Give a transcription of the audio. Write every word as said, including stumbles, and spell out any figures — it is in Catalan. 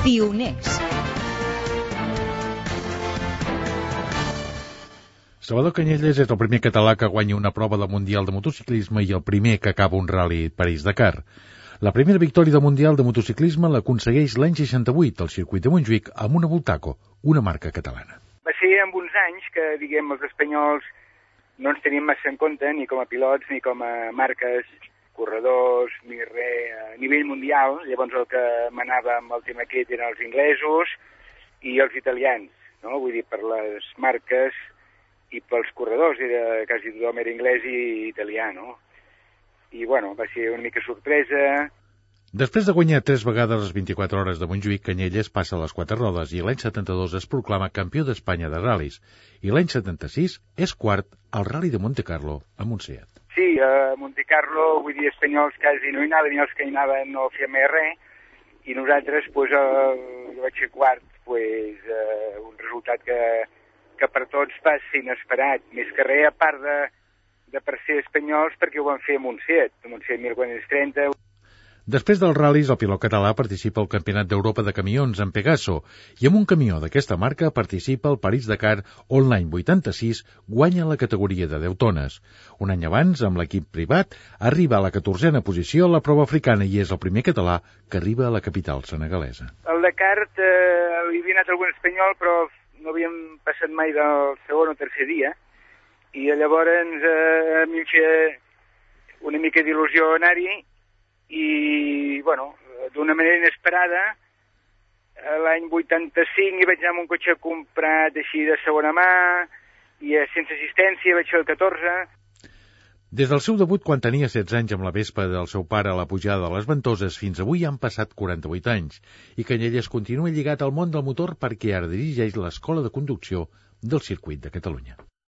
Pioners. Salvador Canyelles és el primer català que guanya una prova del Mundial de Motociclisme i el primer que acaba un Rally París-Dakar. La primera victòria del Mundial de Motociclisme l'aconsegueix l'any seixanta-vuit al circuit de Montjuïc amb una Bultaco, una marca catalana. Va ser en uns anys que, diguem, els espanyols no ens teníem massa en compte, ni com a pilots, ni com a marques, corredors, ni res, a nivell mundial. Llavors el que manava amb el tema aquest eren els inglesos i els italians, no? Vull dir, per les marques i pels corredors, era, quasi tothom era anglès i italià, no? I, bueno, va ser una mica sorpresa. Després de guanyar tres vegades les vint-i-quatre hores de Montjuïc, Canyelles passa a les quatre rodes i l'any setanta-dos es proclama campió d'Espanya de ral·lis i l'any setanta-sis és quart al Rally de Montecarlo amb un Seat. Sí, a Montecarlo, vull dir, espanyols quasi no hi anaven, i els que hi anaven no feien més res, i nosaltres, doncs, eh, jo vaig ser quart, doncs, eh, un resultat que, que per tots va ser inesperat, més que res, a part de, de per ser espanyols, perquè ho van fer amb un Seat, amb un Seat mil quatre-cents trenta. Després dels ral·lis, el pilot català participa al Campionat d'Europa de Camions en Pegaso i amb un camió d'aquesta marca participa al París-Dakar, on l'any vuitanta-sis guanya la categoria de deu tones. Un any abans, amb l'equip privat, arriba a la catorzena posició a la prova africana i és el primer català que arriba a la capital senegalesa. Al Dakar eh, hi havia anat algun espanyol, però no havíem passat mai del segon o tercer dia, i llavors eh, a mi em feia una mica d'il·lusió anar-hi. I, bueno, d'una manera inesperada, l'any vuitanta-cinc hi vaig anar amb un cotxe comprat així de segona mà, i sense assistència vaig fer el catorze. Des del seu debut, quan tenia setze anys amb la Vespa del seu pare a la pujada de les Ventoses, fins avui han passat quaranta-vuit anys, i Canyelles continua lligat al món del motor perquè ara dirigeix l'Escola de Conducció del Circuit de Catalunya.